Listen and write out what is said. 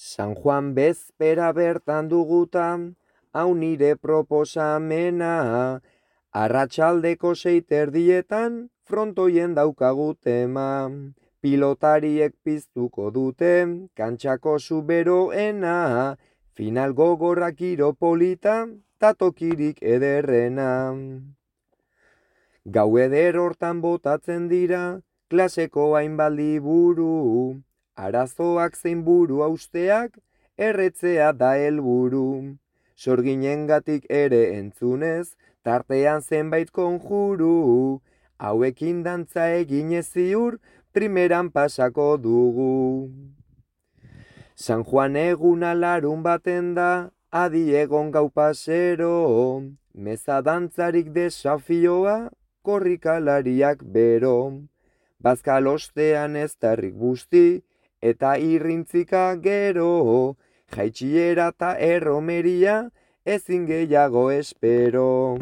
San Juan bezpera bertan dugutan, hau nire proposamena, arratsaldeko 6 frontoien daukagu tema. Pilotariek piztuko dute, kantxako zuberoena, final gogorrak iropolita, tatokirik ederrena. Gau eder hortan botatzen dira, klaseko hainbat liburu, arazoak zein buru hausteak, erretzea da helburu. Sorginengatik ere entzunez, tartean zenbait konjuru, hauekin dantza eginez ziur, primeran pasako dugu. San Juan eguna larun baten da, adi egon gau pasero, meza dantzarik desafioa, korrikalariak bero. Bazkal ostean ez tarrik busti, eta irrintzika gero, jaitsiera eta erromeria, ezin gehiago espero.